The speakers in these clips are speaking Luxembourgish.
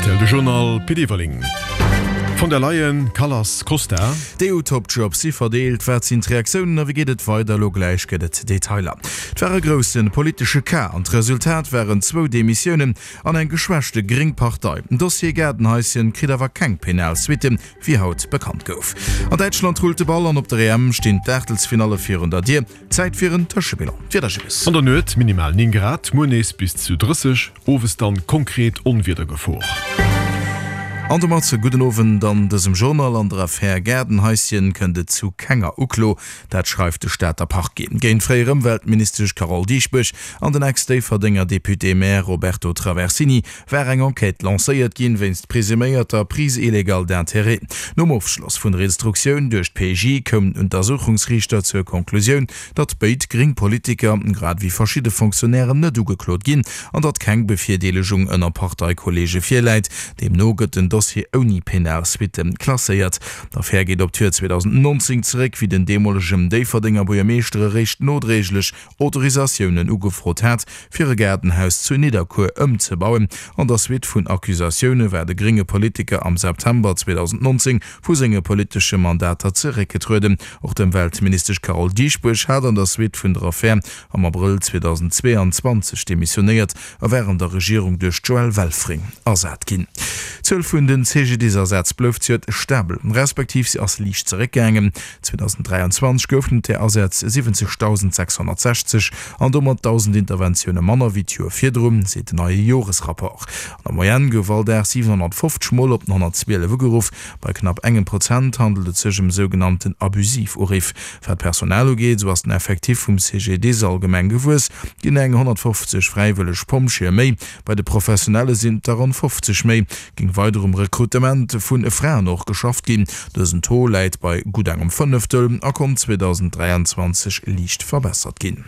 Rtl, De Journal Pit Everling. Von der Leyen, Kallas, Costa. D'EU-Topjobs si verdeelt, wat sinn d'Reaktiounen a wéi geet et weider? Elo gläich gëtt et Detailer. Et war e grousse politesche Cas an d'Resultat waren zwou Demissiounen an eng geschwächte gréng Partei. Den Dossier Gaardenhaischen kritt awer keng penal Suitten, wéi haut bekannt gouf. An Däitschland rullt de Ball an op der EM stinn d'Aachtelsfinalle virun der Dier. Zäit fir en Tëschebilan. D'Wieder Gilles. An der Nuet minimal 9 Grad, muer nees bis zu 30, owes dann konkret Onwiedergefor. An domat gudden Owend an dësem Journal. An der Affär Gaardenhaischen kënnt et zu kenger Uklo, dat schreift de Stater Parquet. Géint d'fréier Ëmweltministesch Carole Dieschbourg an den Ex-Déifferdenger Député-Maire Roberto Traversini war eng Enquête lancéiert ginn, wéinst presuméierter Prise illégale d'intérêts. Nom Ofschloss vun der Instruktioun duerch d'PJ koum den Untersuchungsriichter zur Konklusioun, datt béid gréng Politiker, grad ewéi verschidde Fonctionnairen net ugeklot ginn an datt keng Bevirdeelegung ënner Parteikolleege virläit. Deemno gëtt den Dossier ouni penal Suitte klasséiert. D'Affär geet op d'Joer 2019 zeréck, wéi den deemolegen Déifferdenger Buergermeeschter eréischt nodréiglech Autorisatiounen ugefrot hat, fir e Gaardenhaus zu Nidderkuer ëmzebauen. An der Suite vun Accusatioune war de grénge Politiker am September 2019 vu senge politesche Mandater zeréckgetrueden. Och d'Ëmweltministesch Carole Dieschbourg hat an der Suite vun der Affär am Abrëll 2022 demissionéiert a war an der Regierung duerch d'Joëlle Welfring ersat ginn. D'Zuel vun de CGDIS-Asätz blouf zejoert stabel, respektiv se ass liicht zeréckgaangen. 2023 goufen et där Asätz 70.660 an domat 1.000 Interventioune manner wéi d'Joer virdrun, seet den neie Joresrapport. An der Moyenne gouf all Dag 750 Mol op den 112 ugeruff. Bei knapp engem Prozent handelt et sech ëm sougenannten abusiv Uriff. Wat d'Personal ugeet, esou ass den Effectif vum CGDIS allgemeng gewuess, ginn eng 150 fräiwëlleg Pompjeeë méi, bei de Professionelle sinn et der ronn 50 méi. Géing weider um Rekrutement vu Fraen och geschafft ginn. Dësen Taux läit bei gutt engem Fënneftel a konnt 2023 liicht verbessert ginn.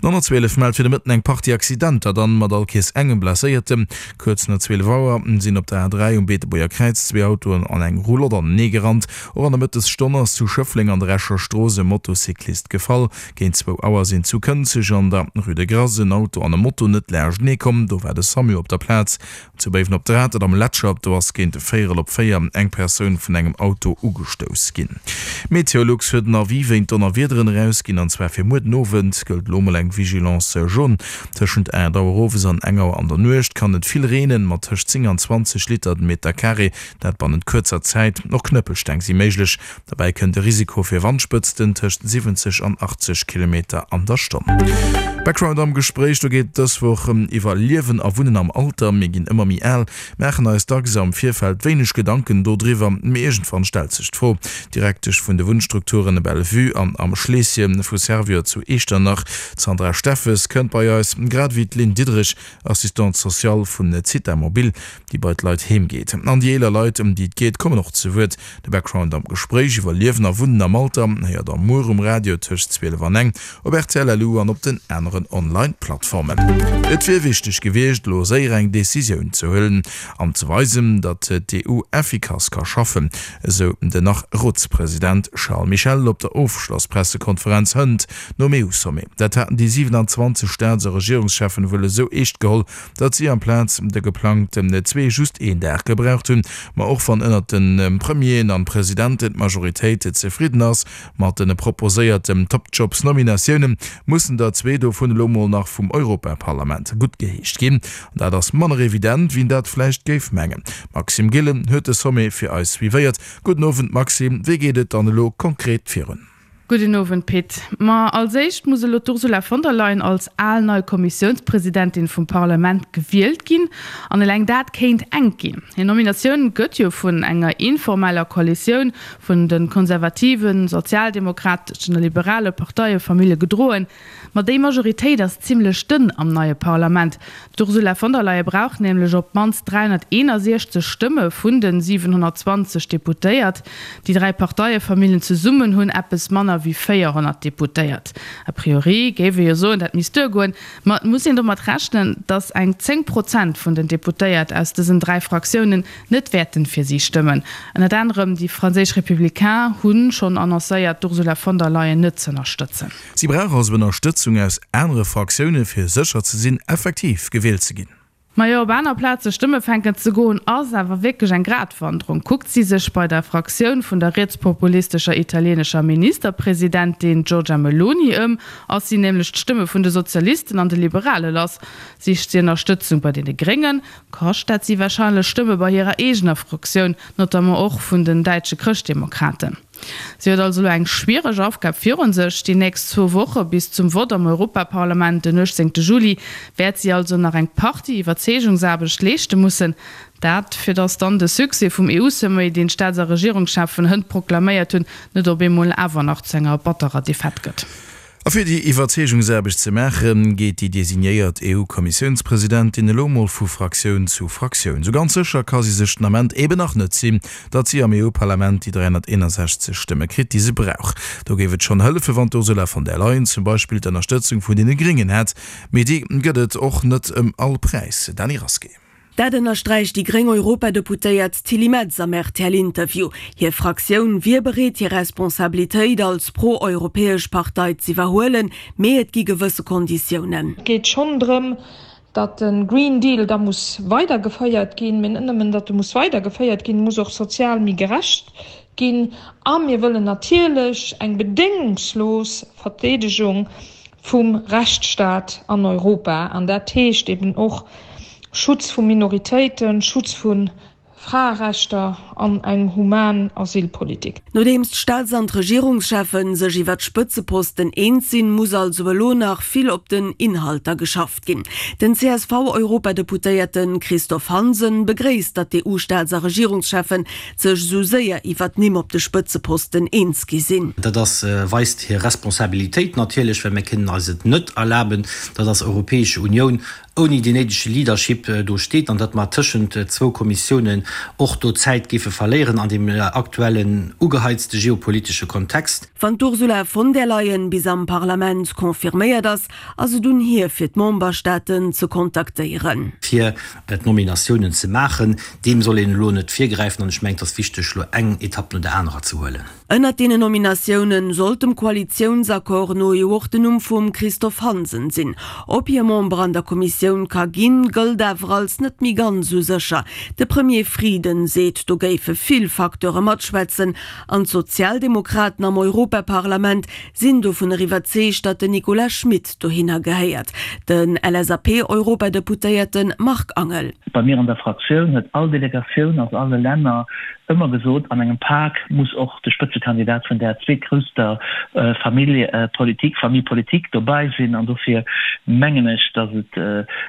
Den 112 mellt fir de Mëtten eng Partie Accidenter, dann mat all Kees engem Blesséierten. Kuerz no 12 Auer sinn op der A3 um Beetebuerger Kräiz zwee Autoen an eng Roulotte anenee gerannt. Och an der Mëttesstonn ass zu Schëffleng an der Escher Strooss e Motocyclist gefall. Géint zwou Auer sinn zu Kënzeg an der Rue de Grass en Auto an e Moto net laanschtenee komm. Do war de Samu op der Plaz. Zu Béiwen op der Atert am Letcher, do ass géint e Véierel op 4 eng Persoun vun engem Auto ugestouss ginn. Meteolux huet en Avis wéint Donnerwiederen erausginn, an zwar fir muer den Owend gëllt elo mol eng Vigilance jaune. Tëschent 8 Auer owes an eng Auer an der Nuecht kann et vill reenen, mat tëscht 10 an 20 Liter den Meter Carré, dat bannent kuerzer Zäit. Och Knëppelsteng si méiglech. Derbäi kënnt e Risiko fir Wandspëtzten tëscht 70 an 80 Kilometer an der Stonn. Background am Gespréich, do geet et dës Woch iwwer Liewen a Wunnen am Alter. Mir ginn ëmmer méi al, maachen eis dacks am Virfeld wéineg Gedanken dodriwwer, mee iergendwann stellt sech d'Fro. D'Direktesch vun de Wunnstrukturen Bellevue an Am Schleesschen vu Servior zu Eechternach, d'Sandra Steffes, kënnt bei eis, grad ewéi d'Lynn Diderich, Assistante sociale vun Zitha Mobile, déi bei d'Leit heem geet. An déi eeler Leit, ëm déi et geet, kommen och zu Wuert. De Background am Gespréich iwwer Liewen a Wunnen am Alter héiert der muer um Radio tëscht 12 an eng, op rtl LU an op den aneren Online-Plattformen. Et wier wichteg gewiescht, elo séier eng Decisioun ze huelen an ze weisen, datt d'EU effikass ka schaffen, esou den nach-Rotspresident Charles Michel op der Ofschlosspressekonferenz hënt nom EU-Sommet. Dat haten déi 27 Staats a Regierungscheffen wuel esou eescht geholl, datt si amplaz de geplangten zwee just een Dag gebraucht hunn. Ma och wann ënnert de Premieren an Presidenten d'Majoritéit zefridden ass mat de proposéierten Top-Jobs-Nominatiounen, mussen der zwee dovun elo mol nach vum Europaparlament guttgeheescht ginn. An dat ass manner evident, wien dat vläicht géif mengen. D'Maxime Gillen huet de Sommet fir eis suivéiert. Gudden Owend Maxime, wéi geet et dann elo konkret virun? Gudden Owend Pit. Ma als éischt muss elo d'Ursula von der Leyen als al nei Kommissiounspresidentin vum Parlament gewielt ginn. An eleng dat kéint enk ginn. Hir Nominatioun gëtt jo vun enger informeller Koalitioun vun de konservativen, sozialdemokrateschen a liberale Parteiefamille gedroen. Ma déi Majoritéit ass zimmlech dënn am neie Parlament. D'Ursula von der Leyen brauch nämlech op d'mannst 361 Stëmme vun de 720 Deputéiert. Déi dräi Parteiefamilljen zesummen hunn eppes manner wéi 400 Deputéiert. A priori géif ee jo soen, dat misst duergoen. Ma et muss een domat rechnen, datt eng 10 Prozent vun den Deputéiert aus dësen dräi Fraktiounen net wäerten fir si stëmmen. Ënnert anerem déi franséisch Républicains hu schonn annoncéiert, d'Ursula von der Leyen net z'ënnerstëtzen. Si brauch also Ënnerstëtzung aus anere Fraktioune fir sécher ze sinn, effektiv gewielt ze ginn. Majo, op aner Plaze Stëmme fänken ze goen, ass awer wierklech eng Gratwanderung. Kuckt si sech bei der Fraktioun vun der rietspopulistescher italienescher Ministerpresidentin Giorgia Meloni ëm, ass si nämlech d'Stëmme vun de Sozialisten an de Liberale lass. Sicht si Ënnerstëtzung bei deene Gréngen, kascht dat si warscheinlech Stëmme bei hirer eegener Fraktioun, notamment och vun den däitsche Chrëschtdemokraten. Si huet also elo eng schwiereg Aufgab virun sech. Déi nächst zwou Woche bis zum Vott am Europaparlament den 18 Juli wäert si also nach eng Partie Iwwerzeegungsaarbecht leeschte mussen. Dat, fir datt dann de Succès vum EU-Sommet, deen d'Staats a Regierungscheffen hënt proklaméiert hunn, net op eemol awer nach zu enger batterer Defaite gëtt. A fir déi Iwwerzeegungsaarbecht ze maachen, geet déi designéiert EU-Kommissiounspresidentin elo mol vu Fraktioun zu Fraktioun. Sou ganz sécher ka si sech den Ament eben nach net sinn, datt si am EU-Parlament déi 361 Stëmme kritt, déi se brauch. Do géif et schonn hëllefen, wann d'Ursula von der Leyen zum Beispill d'Ënnerstëtzung vun deene Gréngen hätt. Mee déi gëtt et och net ëm all Präis. Dany Rasqué. Dat ënnersträicht déi gréng Europadeputéiert Tilly Metz am RTL-Interview. Hir Fraktioun wier bereet hir Responsabilitéit als pro-europäesch Partei z'iwwerhuelen, mee et gi gewësse Konditiounen. Et geet schonn drëm, datt de Green Deal da muss weidergeféiert ginn, mee net nëmmen, datt e muss weidergeféiert ginn, e muss och sozial méi gerecht ginn. A mir wëllen natierlech eng bedéngungslos Verdeedegung vum Rechtsstaat an Europa, an dat heescht eben och Schutz vu Minoritéiten, Schutz vu Fraerechter an eng human Asylpolitik. Nodeems d'Staats an d'Regierungscheffe sech iwwer d'Spëtzeposten eens sinn, muss also elo nach vill op den Inhalter geschafft ginn. Den CSV-Europadeputéierte Christophe Hansen begréisst, datt d'EU-Staats a Regierungscheffen sech esou séier iwwer d'Nimm op de Spëtzeposten eens gi sinn. Dat ass, weist hir Responsabilitéit natierlech, well mir kënnen eis et net erlaben, datt als Europäesche Unioun ouni deen néidege Leadership do steet an datt mer tëschent zwou Kommissiounen och do Zäit géife verléieren an deem aktuellen ugeheizte geopolitesche Kontext. Wann d'Ursula von der Leyen bis am Parlament confirméiert ass, ass et un hir fir d'Memberstaaten ze kontaktéieren. Fir d'Nominatiounen ze maachen. Deem soll een elo net virgräifen an ech mengen, et ass wichteg, elo eng Etapp no der anerer ze huelen. Ënnert deenen Nominatioune sollt dem Koalitiounsaccord no jo och den Numm vum Christophe Hansen sinn. Ob hie Member an der Kommissioun ka ginn, gëllt awer als net méi ganz esou sécher. De Premier Frieden seet, do géife vill Facteure matschwätzen an d'Sozialdemokraten am Europaparlament sinn dovunner iwwerzeegt, datt den Nicolas Schmit dohinner gehéiert. Den LSAP-Europadeputéierte Marc Angel. Bei mir an der Fraktioun huet all Delegatioun aus alle Länner ëmmer gesot, an engem Pak muss och de Spëtzekandidat vun där zweetgrousster Famille politique, Famille politique dobäi sinn. An dofir mengen ech, datt et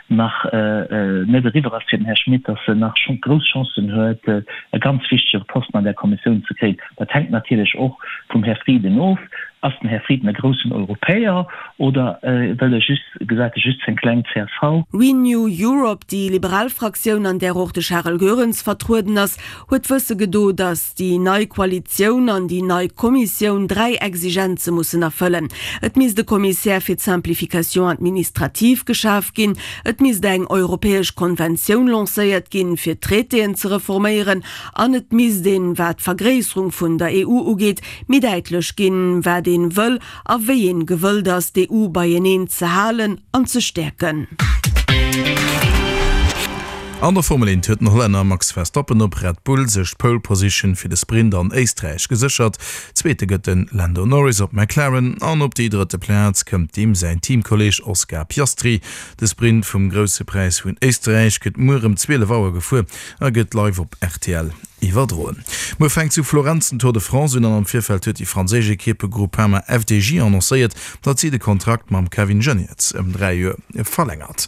nach net eriwwer ass fir den Här Schmit, datt en nach grouss Chancen huet, e ganz wichtege Posten an där Kommissioun ze kréien. Dat hänkt natierlech och vum Här Frieden of. Ass den Här Frieden e groussen Europäer oder wëll e just, gesäit e just seng kleng csv? Renew Europe, déi liberal Fraktioun, an där och de Charel Goerens vertrueden ass, huet wësse gedo, datt déi nei Koalitioun an déi nei Kommissioun 3 Exigenze mussen erfëllen, Et misst e Kommissär fir d'Simplification administrative geschaf ginn, et misst eng europäesch Konventioun lancéiert ginn, fir d'Traitéen ze reforméieren An et misst een, wat d'Vergréisserung vun der EU ugeet, méi däitlech ginn, wat een wëll a wéi een gewëllt ass, d'EU beieneen ze halen an ze stäerken. An der Formel 1 huet den Hollänner Max Verstappen op Red Bull sech d'Pole Position fir de Sprint an Éisträich geséchert. Zweete gëtt de Lando Norris op McLaren an op déi drëtte Plaz kënnt deem säin Teamkolleeg Oscar Piastri. De Sprint vum Grousse Präis vun Éisträich gëtt muer ëm 12 Auer gefuer. A gëtt live op rtl iwwerdroen. Muer fänkt zu Florenz den Tour de France un an am Virfeld huet déi franséisch Ekipp Groupama FDJ annoncéiert, datt si de Kontrakt mam Kevin Geniets ëm 3 Joer verlängert.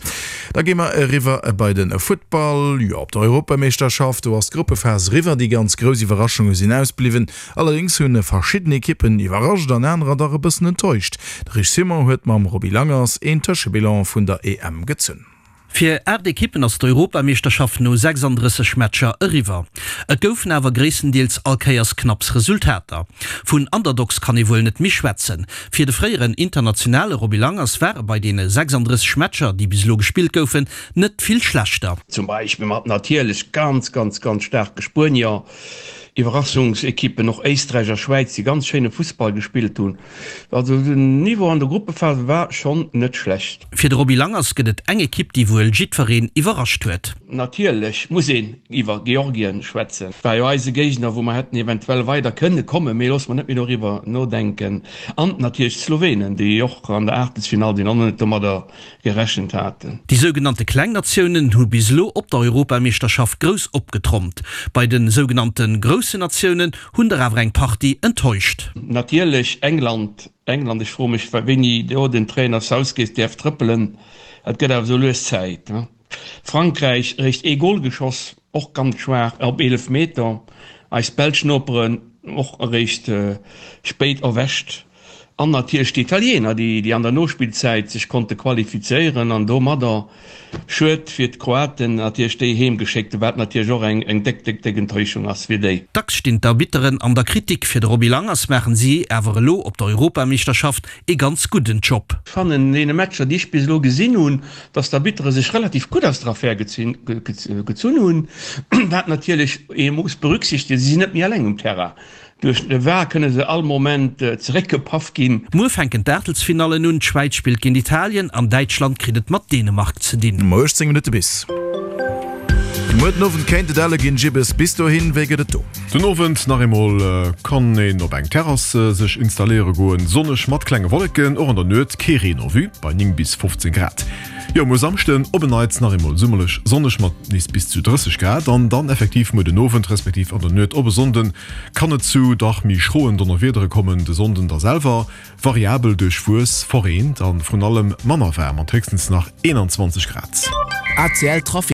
Da gi mer eriwwer bei de Futtball. Jo, op der Europameeschterschaft, do ass d'Gruppephas eriwwer. Déi ganz grouss Iwwerraschunge sinn ausbliwwen. Allerdéngs hunn verschidden Ekippen iwwerrascht an anerer dach e bëssen enttäuscht. De Rich Simon huet mam Roby Langers een Tëschebilan vun der EM gezunn. Fir 8 Ekippen ass d'Europameeschterschaft no 36 Matcher eriwwer. Et goufen awer gréisstendeels all Kéiers knapps Resultater. Vun Underdogs kann ee wuel net méi schwätzen. Fir de fréieren Internationale Roby Langers ware bei deene 36 Matcher, déi bis elo gespillt goufen, net vill schlechter. Zum Beispill mat natierlech ganz, ganz, ganz staarke Spuenier. Iwwerraschungsekippen, och Éisträich a Schwäiz, déi ganz schéine Fussball gespillt hunn. Also den Niveau an der Gruppephase war schonn net schlecht. Fir de Roby Langers gëtt et eng Ekipp, déi wuel jiddwereen iwwerrascht huet. Natierlech muss een iwwer Georgien schwätzen. War jo eise Géigner, wou mer hätten eventuell weider kënne kommen, mee loosse mer net méi doriwwer nodenken. An natierlech d'Slowenen, déi och an der Aachtelsfinall sinn an och net domadder gerechent haten. Déi sougenannte kleng Natiounen hu bis elo op der Europameeschterschaft grouss opgetrompt. Bei de sougenannte groussen Natiounen hunn der awer eng Partie enttäuscht. Natierlech England, England, ech froe mech wéini do den Trainer Southgate däerf trëppelen, et gëtt awer esou lues Zäit. Frankräich eréischt ee Gol geschoss, och ganz schwaach op 11 Meter. Eis belsch Noperen och eréischt spéit erwächt. An natierlech d'Italiener, déi an der Nospillzäit sech konnte qualifizéieren an domadder, schued fir d'Kroaten, natierlech déi heem geschéckt hunn, wat natierlech och eng déck, déck, déck Enttäuschung ass fir déi. Dacks stinn d'Arbitteren an der Kritik. Fir de Roby Langers maachen si awer elo op der Europameeschterschaft ee ganz gudden Job. Ech fannen an deene Matcher, déi ech bis elo gesinn hunn, dass d'Arbittere sech relativ gutt aus der Affär gezunn hunn, wat natierlech ee muss berücksichtegen, si sinn net méi eleng um Terrain. Duerch de var kënne se all Moment zeréckgepaff ginn. Muer fänken d'Aachtelsfinallen un, D'Schwäiz spillt géint Italien an Däitschland kritt et mat Dänemark ze dinn. Muer 18 Minutte bis. Muer den Owend kéint et elle ginn, Jibbes. Bis dohin, wéi gëtt et do? Den Owend nach eemol kann een op eng Terrass sech installéiere goen. Sonneg mat klenge Wolleken, och an der Nuet kee Reen en vue bei 9 bis 15 Grad. Jo, muer Samschden op en Neits nach eemol summerlech sonneg mat nees bis zu 30 Grad an dann effektiv muer den Owend respektiv an der Nuet op e Sonnden kann et zu dach méi schroen Donnerwiedere kommen. De Sonnden da selwer variabel duerchwuess, verreent an vrun allem manner waarm mat héchstens nach 21 Grad. ACL Trafic.